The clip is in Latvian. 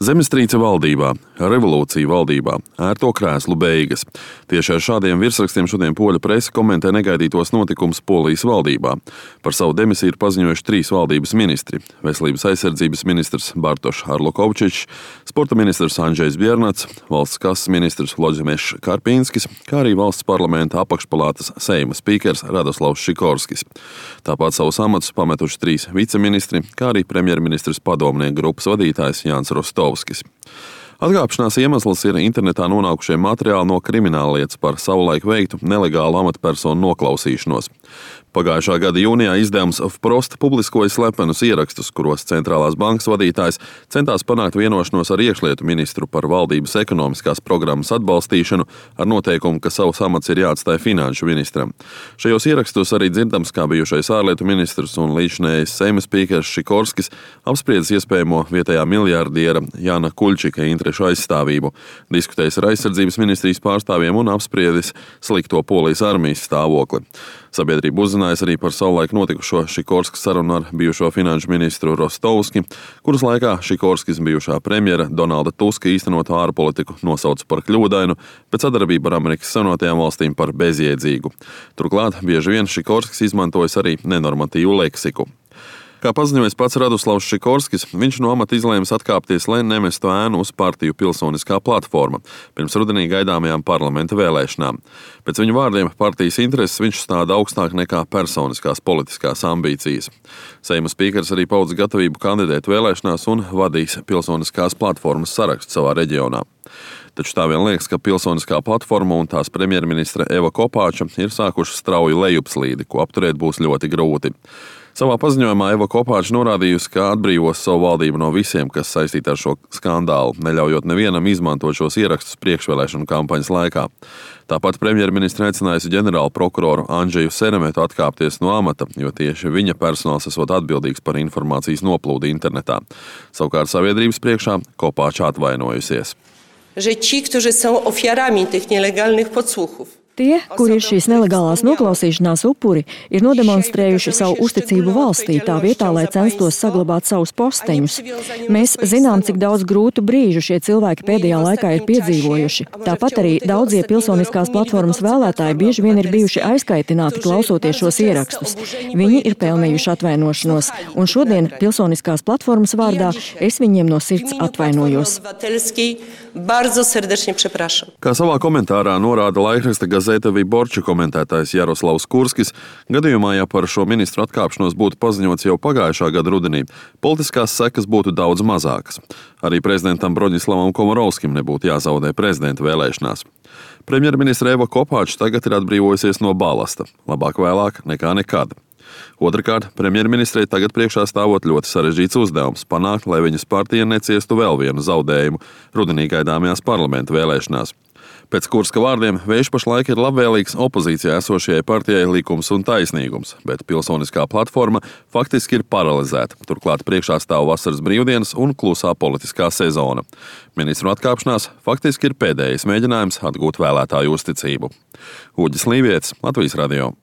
Zemestrīce valdībā, revolūcija valdībā, ērto krēslu beigas. Tieši ar šādiem virsrakstiem šodien poļu prese komentē negaidītos notikumus Polijas valdībā. Par savu demisiju ir paziņojuši 3 valdības ministri – veselības aizsardzības ministrs Bartošs Arlukovčičs, sporta ministrs Andžejs Biernats, valsts kases ministrs Vlodzimešs Karpīnskis, kā arī valsts parlamenta apakšpalātas Seima spīkers Radoslavs Šikorskis. Tāpat savus amatus pametuši 3 viceministri, kā arī premjerministrs padomnieku grupas vadītājs Jānis Rostovskis. Atkāpšanās iemesls ir internetā nonākušie materiāli no krimināllietas par savulaik veiktu nelegālu amatpersonu noklausīšanos. Pagājušā gada jūnijā izdevums Vprost publiskoja slepenus ierakstus, kuros centrālās bankas vadītājs centās panākt vienošanos ar iekšlietu ministru par valdības ekonomiskās programmas atbalstīšanu ar noteikumu, ka savs amats ir jāatstāj finanšu ministram. Šajos ierakstos arī dzirdams, kā bijušais ārlietu ministrs un līdzinējais Seima spīkers Šikorskis apspriedis iespējamo vietējā miljārdiera Jāna Kuļčika interešu aizstāvību, diskutējis ar aizsardzības ministrijas pārstāvjiem un apspriedis slikto Polijas armijas stāvokli. Sabiedrība uzzinājas arī par savulaik notikušo Šikorskis sarunu ar bijušo finanšu ministru Rostovski, kuras laikā Šikorskis bijušā premjera Donalda Tuska īstenoto ārpolitiku nosauca par kļūdainu, bet sadarbību ar Amerikas Savienotajām valstīm par bezjēdzīgu. Turklāt bieži vien Šikorskis izmantojas arī nenormatīvu leksiku. Kā paziņojis pats Radoslavs Šikorskis, viņš no amata izlēmis atkāpties, lai nemestu ēnu uz partiju Pilsoniskā platforma pirms rudenī gaidāmajām parlamenta vēlēšanām. Pēc viņa vārdiem partijas intereses viņš stāda augstāk nekā personiskās politiskās ambīcijas. Seima spīkers arī paudz gatavību kandidēt vēlēšanās un vadīs Pilsoniskās platformas sarakstu savā reģionā. Taču tā vien liekas, ka Pilsoniskā platforma un tās premjerministra Eva Kopāča ir sākuši strauju lejupslīdi, ko apturēt būs ļoti grūti. Savā paziņojumā Eva Kopāča norādījusi, ka atbrīvos savu valdību no visiem, kas saistīti ar šo skandālu, neļaujot nevienam izmantot šos ierakstus priekšvēlēšanu kampaņas laikā. Tāpat premjerministra aicinājusi ģenerālu prokuroru Andžeju Seremetu atkāpties no amata, jo tieši viņa personāls esot atbildīgs par informācijas noplūdi internetā. Savukārt sabiedrības priekšā Kopāča atvainojusies. Że ci, którzy są ofiarami tych nielegalnych podsłuchów. Tie, kuri ir šīs nelegālās noklausīšanās upuri, ir nodemonstrējuši savu uzticību valstī tā vietā, lai censtos saglabāt savus posteņus. Mēs zinām, cik daudz grūtu brīžu šie cilvēki pēdējā laikā ir piedzīvojuši. Tāpat arī daudzie Pilsoniskās platformas vēlētāji bieži vien ir bijuši aizkaitināti klausoties šos ierakstus. Viņi ir pelnījuši atvainošanos, un šodien Pilsoniskās platformas vārdā es viņiem no sirds atvainojos. Kā savā komentārā norāda laikraksta Gazeta Viborča komentētājs Jaroslavs Kurskis, gadījumā, ja par šo ministru atkāpšanos būtu paziņots jau pagājušā gada rudenī, politiskās sekas būtu daudz mazākas. Arī prezidentam Broņislavam Komorovskim nebūtu jāzaudē prezidenta vēlēšanās. Premjerministra Eva Kopāča tagad ir atbrīvojusies no balasta. Labāk vēlāk nekā nekad. Otrakārt, premjerministrei tagad priekšā stāvot ļoti sarežģīts uzdevums – panākt, lai viņas partija neciestu vēl vienu zaudējumu rudenī gaidāmajās parlamenta vēlēšanās. Pēc Kurska vārdiem, vējš pašlaik ir labvēlīgs opozīcijā esošajai partijai Likums un taisnīgums, bet Pilsoniskā platforma faktiski ir paralizēta. Turklāt priekšā stāv vasaras brīvdienas un klusā politiskā sezona. Ministru atkāpšanās faktiski ir pēdējais mēģinājums atgūt vēlētāju uzticību. Uģis Līvietis, Latvijas radio.